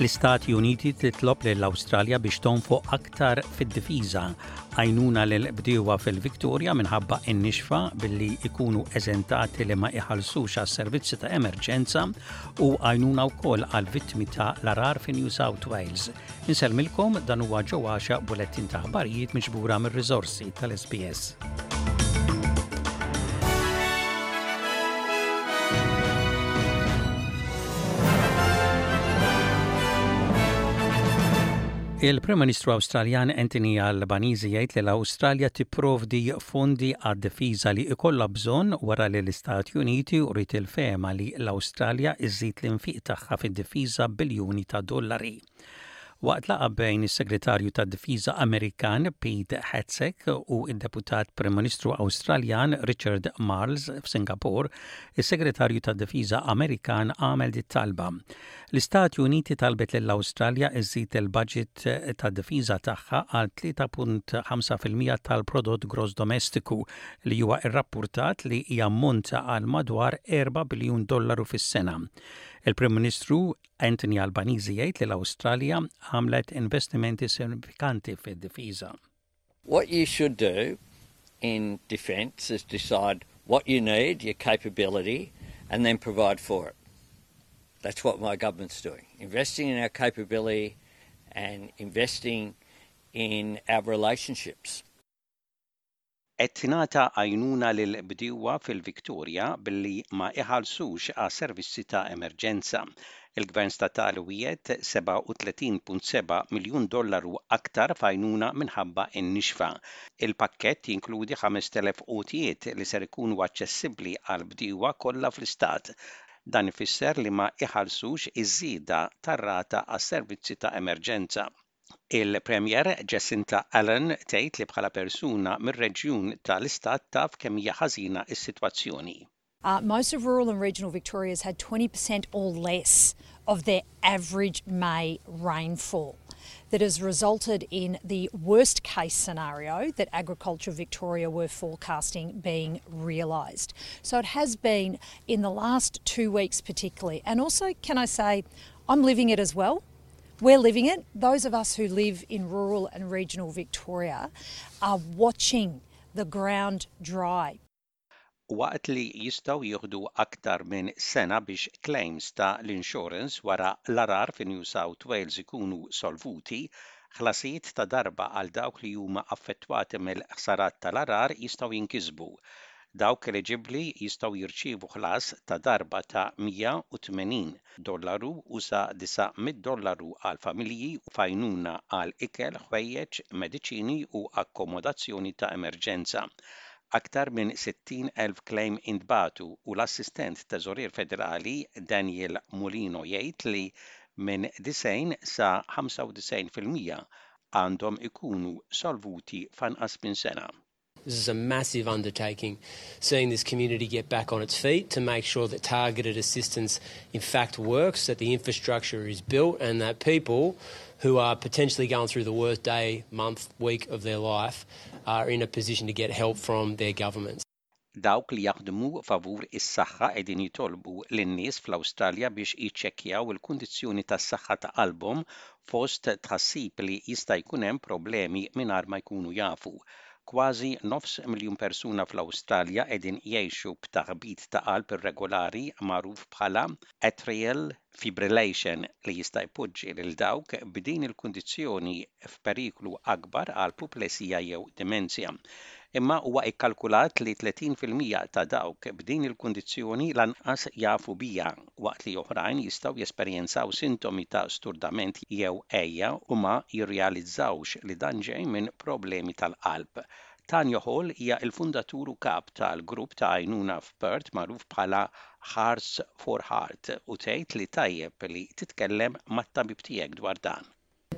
L-Istati Uniti titlob lill-Awstralja biex tonfoq aktar fid-difiża għajnuna lil bdiewa fil-Victoria minħabba n-nixfa billi ikunu eżentati li ma iħallsux għas servizzi ta' emerġenza u għajnuna wkoll għal vittmi ta' l-arar fi New South Wales. Insellmilkom dan huwa Joe Għaxa bulettin ta' aħbarijiet miġbura mir-riżorsi tal-SBS. Il-Prim Ministru Awstraljan Anthony Albanese jgħid li l-Awstralja tipprovdi fondi għad-difiża li ikollha bżonn wara li l-Istati Uniti uriet il-fehma li l-Awstralja iżżid l-infiq tagħha fid-difiża b'biljuni ta' dollari. Waqt laqgħa bejn is-Segretarju tad-Difiża Amerikan Pete Hegseth u d-Deputat Prim Ministru Awstraljan Richard Marles f'Singapore, is-Segretarju tad-Difiża Amerikan għamel dit-talba. L-Istati Uniti talbet lill-Awstralja iżżid il-baġit tad-difiża tagħha għal 3.5 fil-mija tal-prodott gross domestiku li huwa rrappurtat li jammonta għal madwar 4 biljun dollaru fis-sena. Il-Prim Ministru Anthony Albanese jgħid li l-Awstralja għamlet investimenti sinifikanti fid-difiża. What you should do in defence is decide what you need, your capability, and then provide for it. That's what my government's doing. Investing in our capability and investing in our relationships. Qed tingħata għajnuna lill-bdiewa fil-Victoria billi ma iħallsux għas-servizzi ta' emerġenza. Il-Gvern Statali wiegħed 37.7 miljun dollaru aktar f'għajnuna minħabba n-nixfa. Il-pakkett jinkludi 5,000 għotjiet li ser ikunu aċċessibbli għall-bdiewa kollha fl-istat. Dan ifisser li ma iħallsux iż-żieda tar-rata għas-servizzi ta' emerġenza. Il-Premier Jacinta Allan tgħid li bħala persuna mir-reġjun tal-istat taf kemm hija ħażina s-sitwazzjoni. Uh, most of rural and regional Victoria has had 20% or less of their average May rainfall. That has resulted in the worst case scenario that Agriculture Victoria were forecasting being realised. So it has been in the last two weeks, particularly. And also, can I say, I'm living it as well. We're living it. Those of us who live in rural and regional Victoria are watching the ground dry. Waqt li jistgħu jieħdu aktar minn sena biex claims ta' l-insurance wara l-għargħar fi New South Wales ikunu solvuti, ħlasijiet ta' darba għal dawk li huma affettwati mill-ħsarat tal-għargħar jistgħu jinkisbu. Dawk eliġibbli jistgħu jirċievu ħlas ta' darba ta' 180 dollaru u sa 900 dollaru għal familji f'għajnuna għal ikel, ħwejjeġ, mediċini u akkomodazzjoni ta' emerġenza. Aktar minn 60,000 claim intbagħtu u l-Assistent Teżorier Federali Daniel Mulino jgħid li minn 90 sa 95% għandhom ikunu solvuti f'anqas minn sena. This is a massive undertaking, seeing this community get back on its feet to make sure that targeted assistance in fact works, that the infrastructure is built and that people who are potentially going through the worst day, month, week of their life are in a position to get help from their governments. Dawk li jaħdmu favur is-saħħa qegħdin jitolbu lin-nies fl-Awstralja biex jiċċekkjaw il-kundizzjoni tas-saħħa ta' qalbhom fost tħassib li jista' jkun hemm problemi mingħajr ma jkunu jafu. Kważi nofs miljun persuna fl-Awstralja qegħdin jgħixu b'taħbit ta' qalb irregolari magħruf bħala atrial fibrillation li jista' jpoġġi lil dawk b'din il-kundizzjoni f'periklu akbar għal puplesija jew dimenzja. Imma huwa kkalkulat li 30% ta' dawk b'din il-kundizzjoni lanqas jafu biha, waqt li oħrajn jistgħu jesperjenzaw sintomi ta' sturdament jew għeja u ma jirrealizzawx li dan ġej minn problemi tal-qalb. Tanya Hall hija l-fundatur u kap tal-grupp ta' għajnuna f'Perth magħruf bħala Hearts for Heart u tgħid li tajjeb li titkellem mat-tabib tiegħek dwar dan.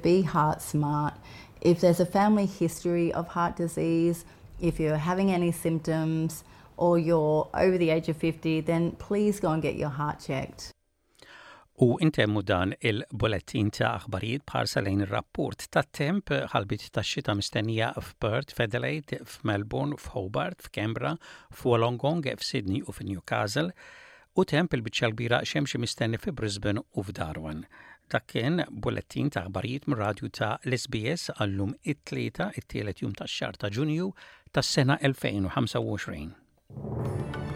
Be heart smart. If there's a family history of heart disease, if you're having any symptoms or you're over the age of 50, then please go and get your heart checked. U intemmu dan il-bulettin ta' aħbarijiet b'ħarsa lejn ir-rapport tat-temp ħalbiet tax-xita mistennija f'Perth, f'Adelaide, f'Melbourne, f'Hobart, f'Canberra, f'Wollongong, f'Sydney u f'Newcastle, u temp il-biċċa l-kbira xemxi mistenni fi Brisbane u f'Darwin. Dak kien bullettin ta' aħbarijiet mir-radju ta' l-SBS għallum it-Tlieta, it-tielet jum tax-xahar ta' Ġunju tas-sena 2025.